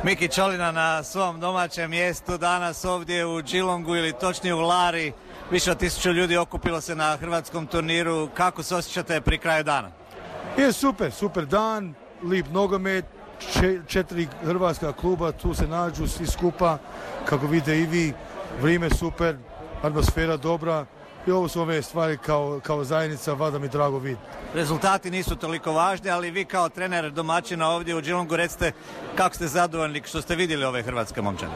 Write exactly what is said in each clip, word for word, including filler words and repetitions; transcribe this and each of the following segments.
Miki Ćolina na svom domaćem mjestu danas ovdje u Geelongu ili točnije u Lari. Više od tisuću ljudi okupilo se na hrvatskom turniru. Kako se osjećate pri kraju dana? Je super, super dan, lip nogomet, četiri hrvatska kluba, tu se nađu svi skupa, kako vidite i vi, vrijeme super, atmosfera dobra i ovo su ove stvari kao, kao zajednica, vada mi drago vidjeti. Rezultati nisu toliko važni, ali vi kao trener domaćina ovdje u Geelongu recite kako ste zadovoljni što ste vidjeli ove hrvatske momčane.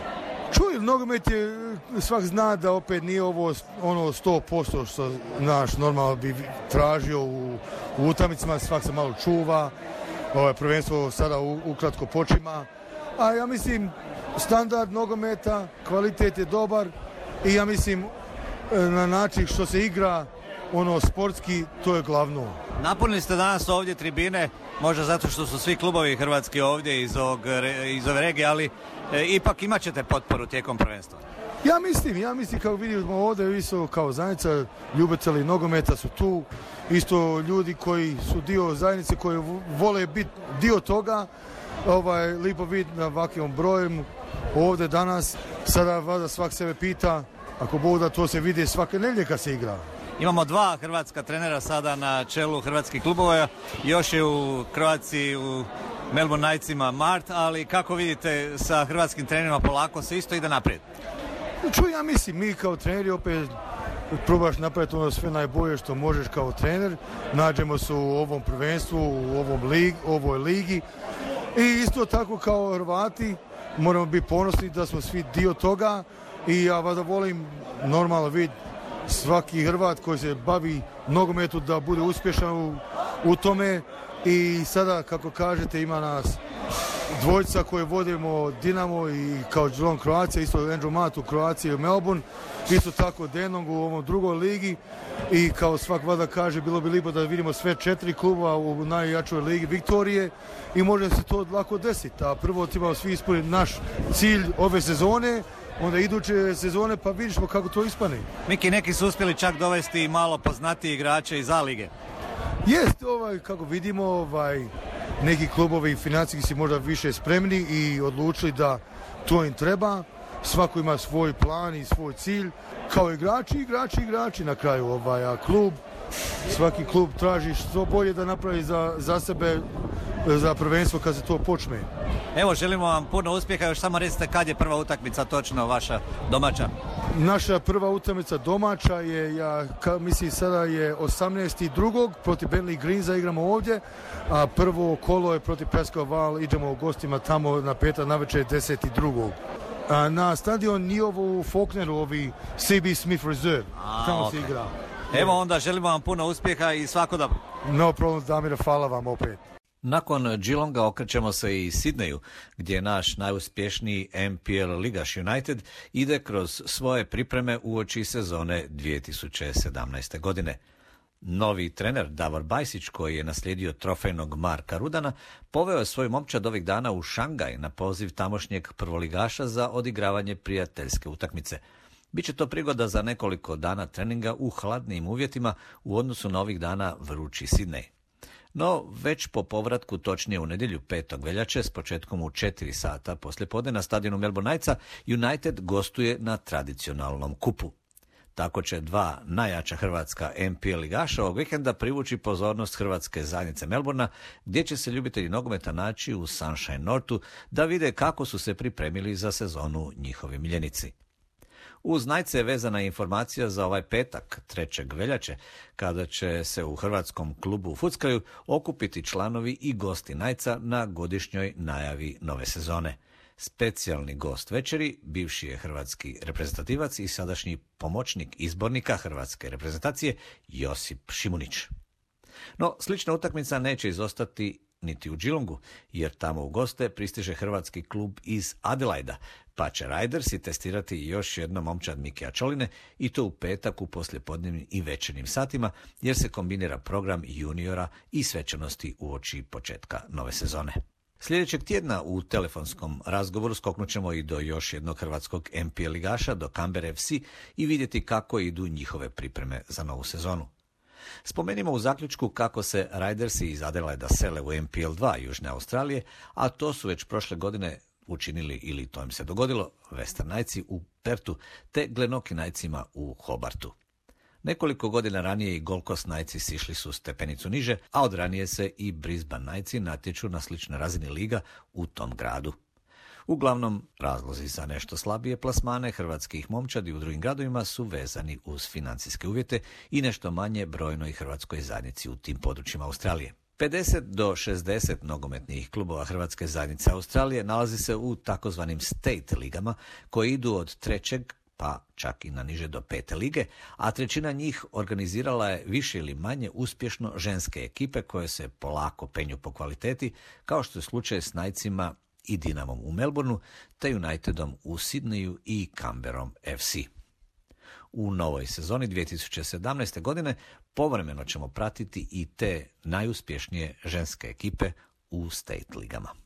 Čuj, nogomet je, svak zna da opet nije ovo ono sto posto što naš normalno bi tražio u, u utakmicama, svak se malo čuva, ovo prvenstvo sada u, ukratko počima, a ja mislim standard nogometa, kvalitet je dobar i ja mislim na način što se igra ono sportski, to je glavno. Napunili ste danas ovdje tribine, možda zato što su svi klubovi hrvatski ovdje iz, ovog, iz ove regije, ali e, ipak imat ćete potporu tijekom prvenstva. Ja mislim, ja mislim kako vidimo ovdje isto kao zajednica, ljubitelji nogometa su tu, isto ljudi koji su dio zajednice, koji vole biti dio toga, ovaj, lipo vidjeti na ovakvom brojem ovdje danas, sada vada svak sebe pita, ako Bog da to se vidi svake nedjelje kad se igra. Imamo dva hrvatska trenera sada na čelu hrvatskih klubova, još je u Kroaciji, u Melbourne Knightsima Mart, ali kako vidite sa hrvatskim trenerima polako se isto ide naprijed? Čuj, ja mislim, mi kao treneri opet probaš napraviti ono sve najbolje što možeš kao trener, nađemo se u ovom prvenstvu, u ovom lig, ovoj ligi i isto tako kao Hrvati moramo biti ponosni da smo svi dio toga i ja vada volim normalno vidjeti svaki Hrvat koji se bavi nogometu da bude uspješan u, u tome i sada kako kažete ima nas dvojica koje vodimo Dinamo i kao Geelong Croatia, isto Andrew Matt u Kroaciji i Melbourne, isto tako Denong u ovom drugoj ligi i kao svak vada kaže bilo bi lipo da vidimo sve četiri kluba u najjačoj ligi Viktorije i može se to lako desiti, a prvo trebamo svi ispuniti naš cilj ove sezone, onda iduće sezone pa vidiš kako to ispane. Miki, neki su uspjeli čak dovesti malo poznatiji igrače iz A lige. Jest, ovaj, kako vidimo, ovaj, neki klubovi financijski su možda više spremni i odlučili da to im treba. Svako ima svoj plan i svoj cilj. Kao igrači, igrači, igrači na kraju. Ovaj, a klub, svaki klub traži što bolje da napravi za, za sebe, za prvenstvo kad se to počne. Evo, želimo vam puno uspjeha, još samo recite kad je prva utakmica točno vaša domaća? Naša prva utakmica domaća je, ja ka, mislim sada je osamnaesti drugog protiv Bentley Greensa igramo ovdje, a prvo kolo je protiv Pascal Val, idemo u gostima tamo na petak navečer deset drugog A na stadion Niovo u Faulkneru, ovi C B Smith Reserve, a, tamo okay. se igra. Evo onda želimo vam puno uspjeha i svako dobro. No problem, Damire, hvala vam opet. Nakon Geelonga okrećemo se i Sidneju, gdje naš najuspješniji N P L ligaš United ide kroz svoje pripreme uoči sezone dvije tisuće sedamnaeste. godine. Novi trener Davor Bajsić, koji je naslijedio trofejnog Marka Rudana, poveo je svoj momčad ovih dana u Šangaj na poziv tamošnjeg prvoligaša za odigravanje prijateljske utakmice. Biće to prigoda za nekoliko dana treninga u hladnijim uvjetima u odnosu na ovih dana vrući Sidnej. No, već po povratku, točnije u nedjelju petog veljače, s početkom u četiri sata poslijepodne na stadionu Melbourne Knightsa, United gostuje na tradicionalnom kupu. Tako će dva najjača hrvatska N P L ligaša ovog vikenda privući pozornost hrvatske zajednice Melbourna, gdje će se ljubitelji nogometa naći u Sunshine Northu da vide kako su se pripremili za sezonu njihovi miljenici. Uz Knightse je vezana informacija za ovaj petak, trećeg veljače, kada će se u hrvatskom klubu u Fuckaju okupiti članovi i gosti Knightsa na godišnjoj najavi nove sezone. Specijalni gost večeri, bivši je hrvatski reprezentativac i sadašnji pomoćnik izbornika hrvatske reprezentacije Josip Šimunić. No, slična utakmica neće izostati niti u Geelongu, jer tamo u goste pristiže hrvatski klub iz Adelaida, pa će Ridersi testirati još jednom momčad Mikija Ćoline i to u petak u poslijepodnevnim i večernjim satima, jer se kombinira program juniora i svečanosti uoči početka nove sezone. Sljedećeg tjedna u telefonskom razgovoru skoknut ćemo i do još jednog hrvatskog N P L ligaša, do Canberra F C, i vidjeti kako idu njihove pripreme za novu sezonu. Spomenimo u zaključku kako se Ridersi iz Adelaida sele u N P L dva Južne Australije, a to su već prošle godine učinili, ili to im se dogodilo, Western Knightsi u Pertu te Glenorchy Knightsima u Hobartu. Nekoliko godina ranije i Gold Coast Knightsi sišli su stepenicu niže, a od ranije se i Brisbane Knightsi natječu na sličnoj razini liga u tom gradu. Uglavnom, razlozi za nešto slabije plasmane hrvatskih momčadi u drugim gradovima su vezani uz financijske uvjete i nešto manje brojnoj hrvatskoj zajednici u tim područjima Australije. pedeset do šezdeset nogometnih klubova Hrvatske zajednice Australije nalazi se u takozvanim state ligama koji idu od trećeg pa čak i na niže do pete lige, a trećina njih organizirala je više ili manje uspješno ženske ekipe koje se polako penju po kvaliteti, kao što je slučaj s Knightsima i Dinamom u Melbourneu, te Unitedom u Sidneju i Canberrom F C. U novoj sezoni dvije tisuće sedamnaeste. godine povremeno ćemo pratiti i te najuspješnije ženske ekipe u state ligama.